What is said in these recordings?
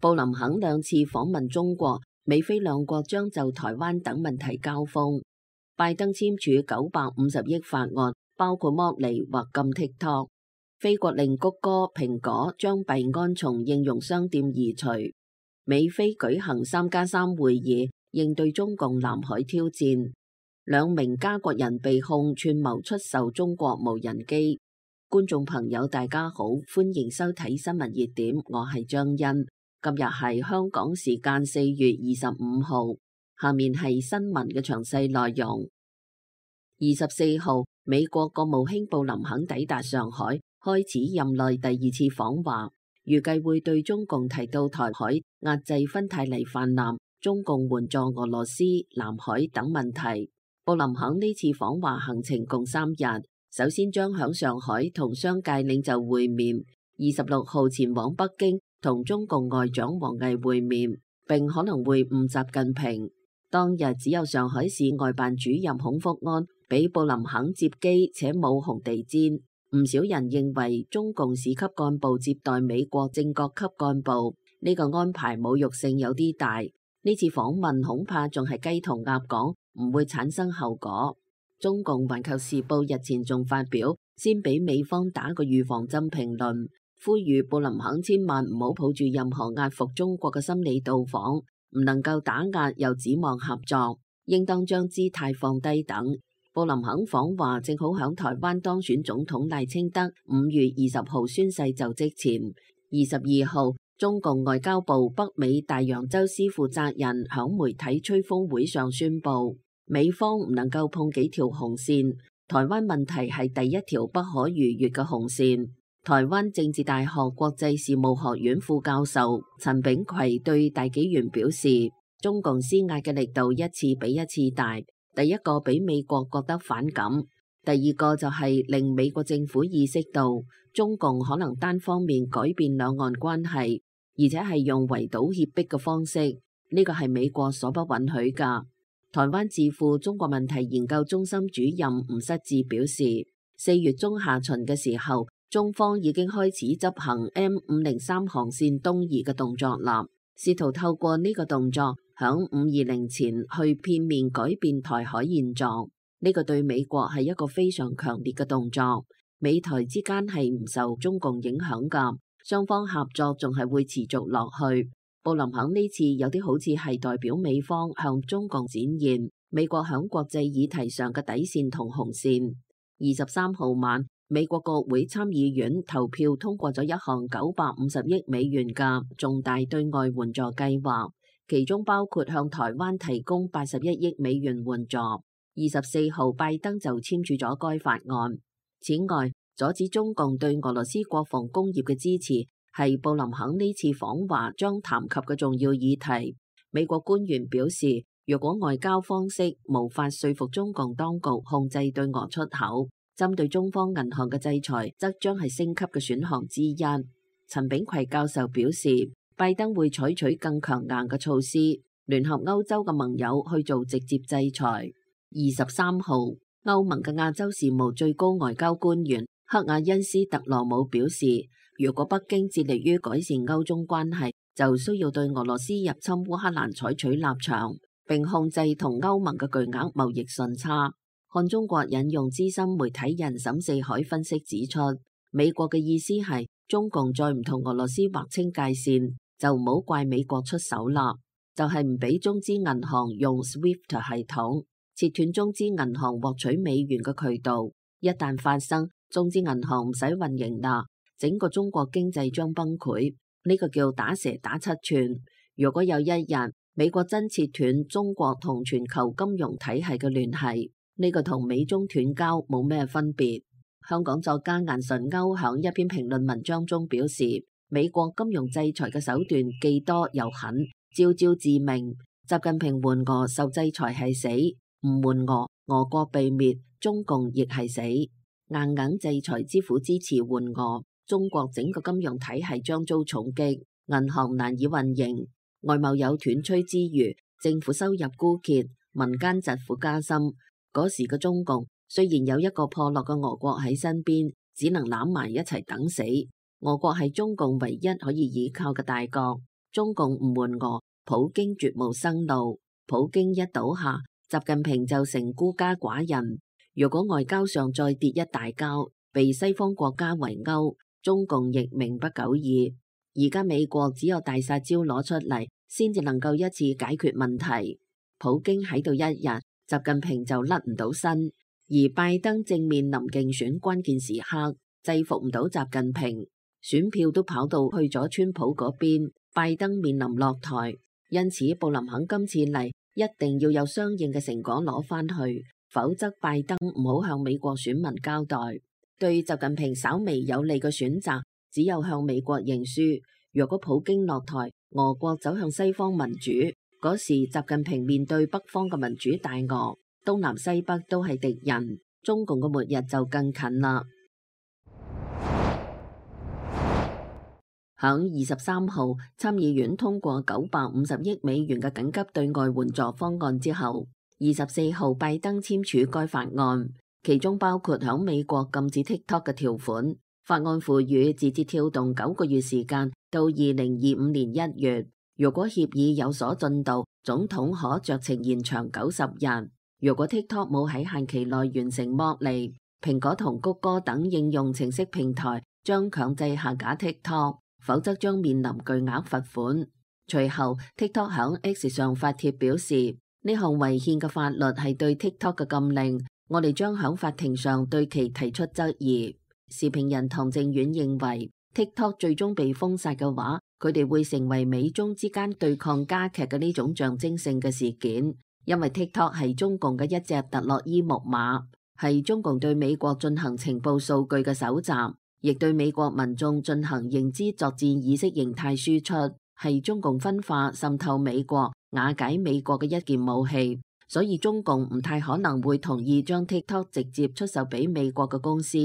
布林肯兩次訪問中國，美菲兩國將就台灣等問題交鋒。拜登簽署950億法案，包括剝離或禁 TikTok。菲國令谷歌、蘋果將幣安從應用商店移除。美菲舉行3+3會議，應對中共南海挑戰。2名加國人被控串謀出售中國無人機。觀眾朋友大家好，歡迎收睇新聞熱點，我係張欣。今日係香港時間4月25號，下面係新聞嘅詳細內容。24號，美國國務卿布林肯抵達上海，開始任內第2次訪華，預計會對中共提到台海、壓制芬太尼氾濫、中共援助俄羅斯、南海等問題。布林肯呢次訪華行程共3日，首先將響上海同商界領袖會面，26號前往北京同中共外長王毅會面，並可能會晤習近平。當日只有上海市外辦主任孔福安俾布林肯接機，且冇紅地毯。唔少人認為中共市級幹部接待美國正國級幹部，呢個安排侮辱性有啲大。呢次訪問恐怕仲係雞同鴨講，唔會產生後果。中共環球時報日前仲發表先俾美方打個預防針評論，呼籲布林肯千萬唔好抱住任何壓服中國嘅心理到訪，唔能夠打壓又指望合作，應當將姿態放低等。布林肯訪華正好響台灣當選總統賴清德5月20號宣誓就職前。22號，中共外交部北美大洋洲司負責人響媒體吹風會上宣布，美方唔能夠碰幾條紅線，台灣問題係第一條不可逾越嘅紅線。台灣政治大學國際事務學院副教授陳炳葵對大紀元表示，中共施壓嘅力度一次比一次大，第一個俾美國覺得反感，第二個就係令美國政府意識到中共可能單方面改變兩岸關係，而且係用圍堵脅迫嘅方式，呢個係美國所不允許㗎。台灣智庫中國問題研究中心主任吳失志表示，4月中下旬嘅時候，中方已經開始執行 M503 航線東移嘅動作啦，試圖透過呢個動作響520前去片面改變台海現狀。呢個對美國係一個非常強烈嘅動作，美台之間係唔受中共影響㗎，雙方合作仲係會持續落去。布林肯呢次有啲好似係代表美方向中共展現美國響國際議題上嘅底線同紅線。23號晚，美國國會參議院投票通過咗一項950億美元嘅重大對外援助計劃，其中包括向台灣提供81億美元援助。24號，拜登就簽署咗該法案。此外，阻止中共對俄羅斯國防工業嘅支持係布林肯呢次訪華將談及嘅重要議題。美國官員表示，若果外交方式無法說服中共當局控制對俄出口，針對中方銀行嘅制裁則將係升級嘅選項之一。陳炳葵教授表示，拜登會採取更強硬嘅措施，聯合歐洲嘅盟友去做直接制裁。23號，歐盟嘅亞洲事務最高外交官員克亞恩斯特羅姆表示，如果北京致力於改善歐中關係，就需要對俄羅斯入侵烏克蘭採取立場，並控制同歐盟嘅巨額貿易順差。看中國引用資深媒體人沈四海分析指出，美國嘅意思係中共再唔同俄羅斯劃清界線，就唔好怪美國出手啦，就係唔俾中資銀行用 SWIFT 系統，切斷中資銀行獲取美元嘅渠道。一旦發生，中資銀行唔使運營啦，整個中國經濟將崩潰。呢個叫打蛇打七寸。如果有一日美國真切斷中國同全球金融體系嘅聯繫，呢個同美中斷交冇咩分別。香港作家顏純歐響一篇評論文章中表示，美國金融制裁嘅手段既多又狠，招招致命。習近平援俄受制裁係死，唔援俄，俄國被滅，中共亦係死。硬制裁之苦支持援俄，中國整個金融體系將遭重擊，銀行難以運營，外貿有斷炊之餘，政府收入枯竭，民間疾苦加深。嗰時嘅中共雖然有一個破落嘅俄國喺身邊，只能攬埋一齊等死。俄國係中共唯一可以依靠嘅大國，中共唔緩俄，普京絕無生路。普京一倒下，習近平就成孤家寡人。如果外交上再跌一大跤，被西方國家圍毆，中共亦命不久矣。而家美國只有大殺招攞出嚟，先至能夠一次解決問題。普京喺度一日，習近平就甩唔到身。而拜登正面臨競選關鍵時刻，制服唔到習近平，選票都跑到去咗川普嗰邊，拜登面臨落台。因此布林肯今次嚟一定要有相應嘅成果攞返去，否則拜登唔好向美國選民交代。對習近平稍微有利嘅選擇，只有向美國認輸。若果普京落台，俄國走向西方民主，嗰時習近平面對北方嘅民主大俄，東南西北都係敵人，中共嘅末日就更近啦。響23號，參議院通過950億美元嘅緊急對外援助方案之後，24號拜登簽署該法案，其中包括響美國禁止 TikTok 嘅條款。法案賦予字節跳動9個月時間到2025年1月，如果協議有所進度，總統可酌情延長90日。如果 TikTok 冇喺限期內完成剝離，蘋果同谷歌等應用程式平台將強制下架 TikTok， 否則將面臨巨額罰款。隨後 TikTok 響 X 上發帖表示，呢項違憲嘅法律係對 TikTok 嘅禁令，我哋將響法庭上對其提出質疑。時評人唐正遠認為 TikTok 最終被封殺嘅話，佢哋會成為美中之間對抗加劇嘅呢種象徵性嘅事件，因為 TikTok 係中共嘅一隻特洛伊木馬，係中共對美國進行情報數據嘅搜集，亦對美國民眾進行認知作戰意識形態輸出，係中共分化滲透美國、瓦解美國嘅一件武器，所以中共唔太可能會同意將 TikTok 直接出售俾美國嘅公司。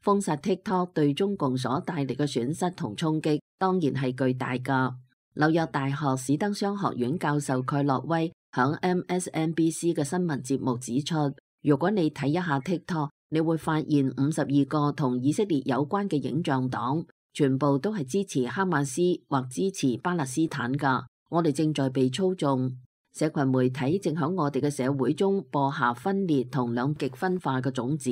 封殺 TikTok 對中共所帶嚟嘅損失同衝擊當然係巨大㗎。紐約大學史登商學院教授蓋洛威響 MSNBC 嘅新聞節目指出，如果你睇一下 TikTok， 你會發現52個同以色列有關嘅影像檔，全部都係支持哈馬斯或支持巴勒斯坦㗎。我哋正在被操縱，社群媒體正響我哋嘅社會中播下分裂同兩極分化嘅種子。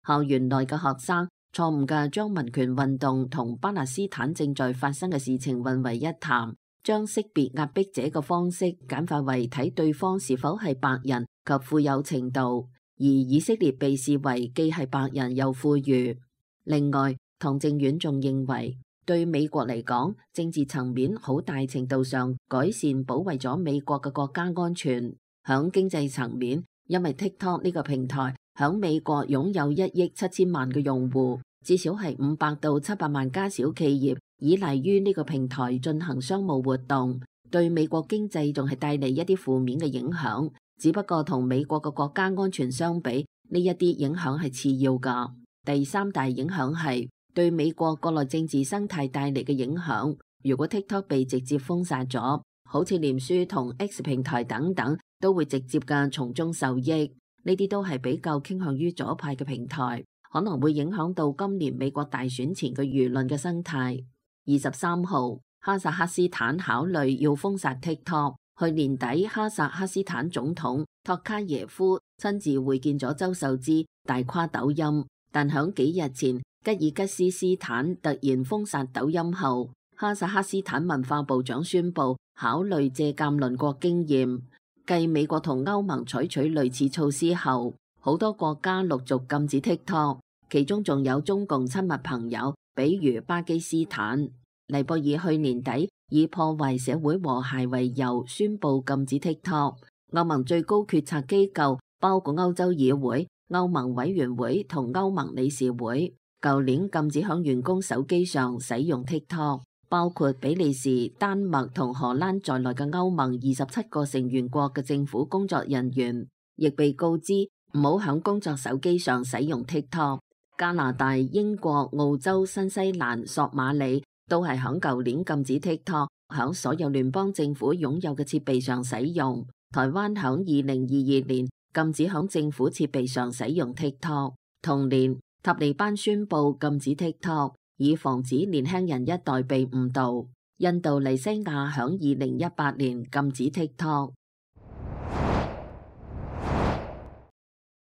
校園內嘅學生錯誤嘅將民權運動同巴勒斯坦正在發生嘅事情混為一談，將識別壓迫者嘅方式簡化為睇對方是否係白人及富有程度，而以色列被視為既係白人又富裕。另外，唐正遠仲認為，對美國嚟講，政治層面好大程度上改善保衛咗美國嘅國家安全。響經濟層面，因為 TikTok 呢個平台響美國擁有1億7千萬嘅用戶，至少係500到700萬家小企業依賴於呢個平台進行商務活動，對美國經濟仲係帶嚟一啲負面嘅影響。只不過同美國嘅國家安全相比，呢一啲影響係次要㗎。第三大影響係對美國國內政治生態帶嚟嘅影響。如果 TikTok 被直接封殺咗，好似臉書同 X 平台等等，都會直接嘅從中受益。呢啲都係比較傾向於左派嘅平台，可能會影響到今年美國大選前嘅輿論嘅生態。23號，哈薩克斯坦考慮要封殺 TikTok。去年底，哈薩克斯坦總統托卡耶夫親自會見咗周受資，大誇抖音。但響幾日前，吉爾吉斯斯坦突然封殺抖音後，哈薩克斯坦文化部長宣布考慮借鑑鄰國經驗。繼美國同歐盟採取類似措施後，好多國家陸續禁止 TikTok， 其中仲有中共親密朋友，比如巴基斯坦。尼泊爾去年底以破壞社會和諧為由宣布禁止 TikTok。歐盟最高決策機構包括歐洲議會、歐盟委員會同歐盟理事會，舊年禁止響員工手機上使用 TikTok。包括比利時、丹麥同荷蘭在內嘅歐盟27個成員國嘅政府工作人員，亦被告知唔好響工作手機上使用 TikTok。加拿大、英國、澳洲、新西蘭、索馬里都係響舊年禁止 TikTok 響所有聯邦政府擁有嘅設備上使用。台灣響2022年禁止響政府設備上使用 TikTok。同年，塔利班宣布禁止 TikTok。以防止年輕人一代被誤導。印度尼西亞響2018年禁止 TikTok。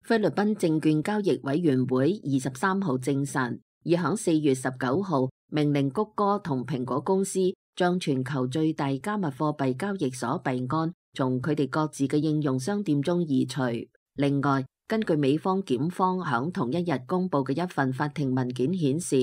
菲律賓證券交易委員會23號證實，已響4月19號命令谷歌同蘋果公司將全球最大加密貨幣交易所幣安從佢哋各自嘅應用商店中移除。另外，根據美方檢方響同一日公佈嘅一份法庭文件顯示，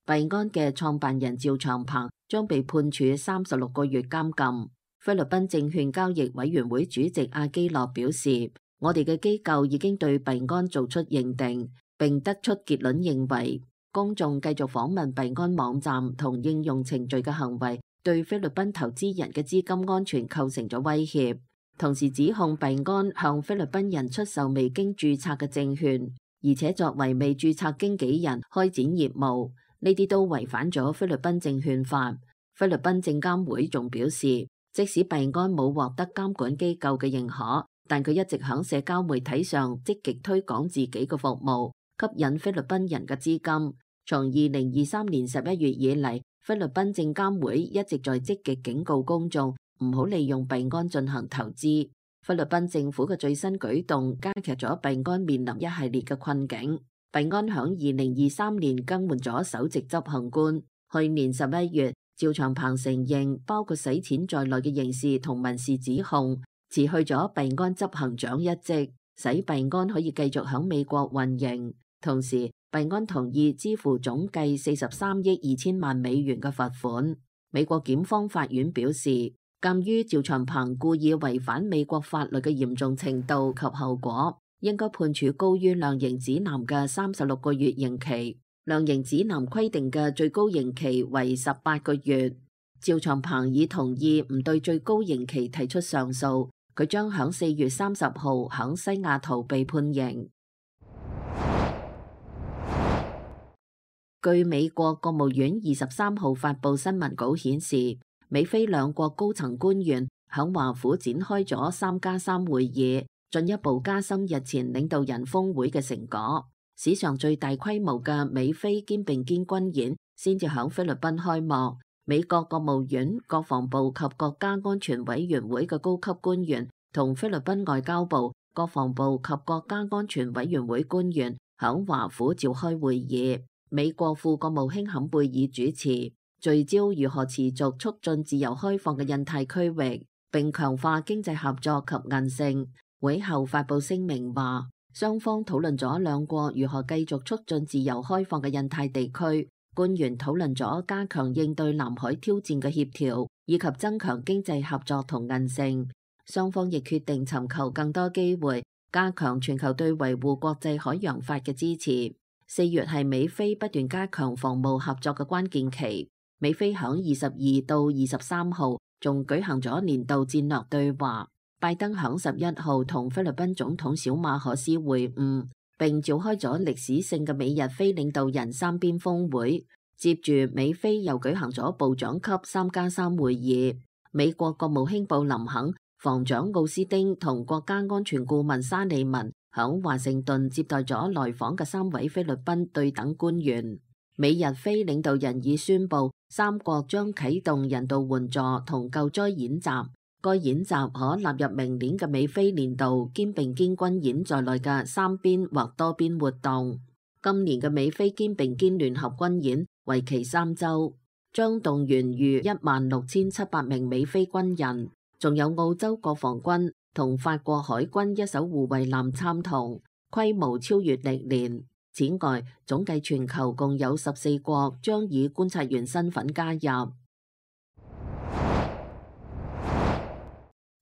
幣安嘅創辦人趙長鵬將被判處36個月監禁。菲律賓證券交易委員會主席阿基諾表示，我哋嘅機構已經對幣安做出認定，並得出結論，認為公眾繼續訪問幣安網站同應用程序嘅行為對菲律賓投資人嘅資金安全構成咗威脅，同時指控幣安向菲律賓人出售未經註冊嘅證券，而且作為未註冊經紀人開展業務，呢啲都違反咗菲律賓證券法。菲律賓證監會仲表示，即使幣安冇獲得監管機構嘅認可，但佢一直喺社交媒體上積極推廣自己嘅服務，吸引菲律賓人嘅資金。從2023年11月以嚟，菲律賓證監會一直在積極警告公眾唔好利用幣安進行投資。菲律賓政府嘅最新舉動加劇咗幣安面臨一系列嘅困境。幣安響2023年更換咗首席執行官。去年11月，趙長鵬承認包括洗錢在內嘅刑事同民事指控，辭去咗幣安執行長一職，使幣安可以繼續響美國運營。同時，幣安同意支付總計43億2千萬美元嘅罰款。美國檢方法院表示，鑑於趙長鵬故意違反美國法律嘅嚴重程度及後果，應該判處高於量刑指南嘅36個月刑期。量刑指南規定嘅最高刑期為18個月。趙長鵬已同意唔對最高刑期提出上訴，佢將響4月30號響西雅圖被判刑。據美國國務院23號發佈新聞稿顯示，美菲兩國高層官員響華府展開咗3+3會議，進一步加深日前領導人峰會嘅成果。史上最大規模嘅美菲肩並肩軍演先至響菲律賓開幕。美國國務院、國防部及國家安全委員會嘅高級官員同菲律賓外交部、國防部及國家安全委員會官員響華府召開會議。美國副國務卿坎貝爾主持，聚焦如何持續促進自由開放嘅印太區域，並強化經濟合作及韌性。會後發佈聲明話，雙方討論咗兩國如何繼續促進自由開放嘅印太地區。官員討論咗加強應對南海挑戰嘅協調，以及增強經濟合作同韌性。雙方亦決定尋求更多機會，加強全球對維護國際海洋法嘅支持。4月係美菲不斷加強防務合作嘅關鍵期。美菲響22到23號仲舉行咗年度戰略對話。拜登響11號同菲律賓總統小馬可斯會晤，並召開咗歷史性嘅美日菲領導人三邊峰會。接住美菲又舉行咗部長級3+3會議。美國國務卿布林肯、防長奧斯汀同國家安全顧問沙利文響華盛頓接待咗來訪嘅3位菲律賓對等官員。美日菲領導人已宣布三國將啟動人道援助同救災演習。該演習可納入明年嘅美菲年度肩並肩軍演在內嘅三邊或多邊活動。今年嘅美菲肩並肩聯合軍演為期3週，將動員逾16,700名美菲軍人，仲有澳洲國防軍同法國海軍一艘護衛艦參同，規模超越歷年。此外，總計全球共有14國將以觀察員身份加入。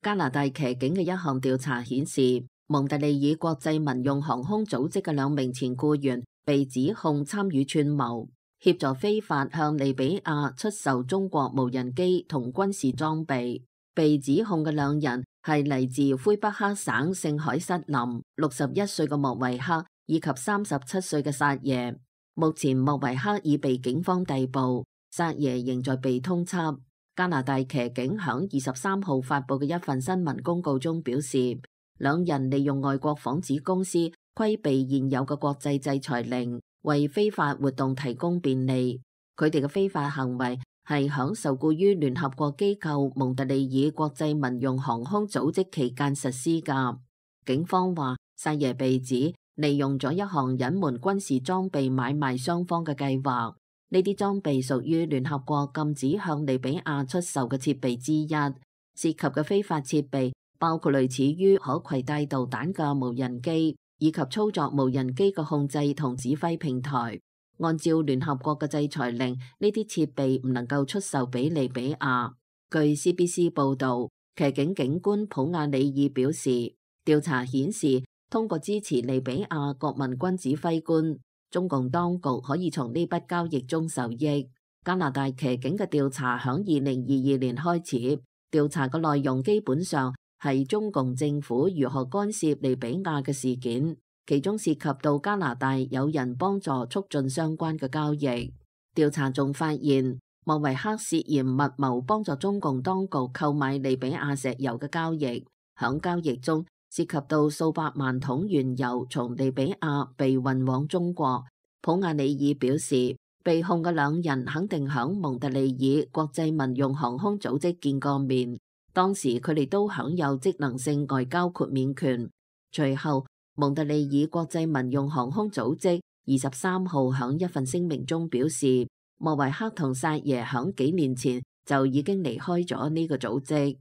加拿大騎警嘅一項調查顯示，蒙特利爾國際民用航空組織嘅2名前僱員被指控參與串謀，協助非法向利比亞出售中國無人機同軍事裝備。被指控嘅2人係嚟自魁北克省聖海瑟林61歲嘅莫維克以及37歲嘅薩耶。目前莫維克已被警方逮捕，薩耶仍在被通緝。加拿大騎警響23號發佈嘅一份新聞公告中表示，2人利用外國幌子公司規避現有嘅國際制裁令，為非法活動提供便利。佢哋嘅非法行為係響受僱於聯合國機構蒙特利爾國際民用航空組織期間實施㗎。警方話，薩耶被指利用咗一項隱瞞軍事裝備買賣雙方嘅計劃。呢啲裝備屬於聯合國禁止向利比亞出售嘅設備之一，涉及嘅非法設備包括類似於可攜帶導彈嘅無人機，以及操作無人機嘅控制同指揮平台。按照聯合國嘅制裁令，呢啲設備唔能夠出售俾利比亞。據 CBC 報導，騎警警官普亞里爾表示，調查顯示通過支持利比亞國民軍指揮官，中共當局可以從呢筆交易中受益。加拿大騎警嘅調查響2022年開始，調查嘅內容基本上係中共政府如何干涉利比亞嘅事件。其中涉及到加拿大有人幫助促進相關嘅交易。調查仲發現，莫維克涉嫌密謀幫助中共當局購買利比亞石油嘅交易。響交易中涉及到數百萬桶原油從利比亞被運往中國。普亞里爾表示，被控嘅兩人肯定響蒙特利爾國際民用航空組織見過面，當時佢哋都享有職能性外交豁免權。隨後，蒙特利爾國際民用航空組織23號響一份聲明中表示，莫維克同薩耶響幾年前就已經離開咗呢個組織。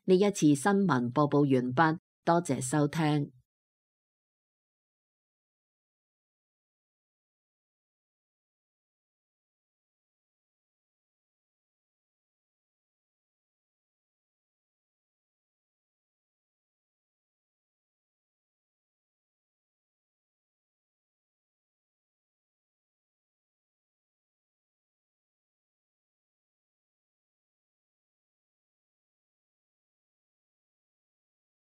呢一次新聞播報完畢，多謝收聽。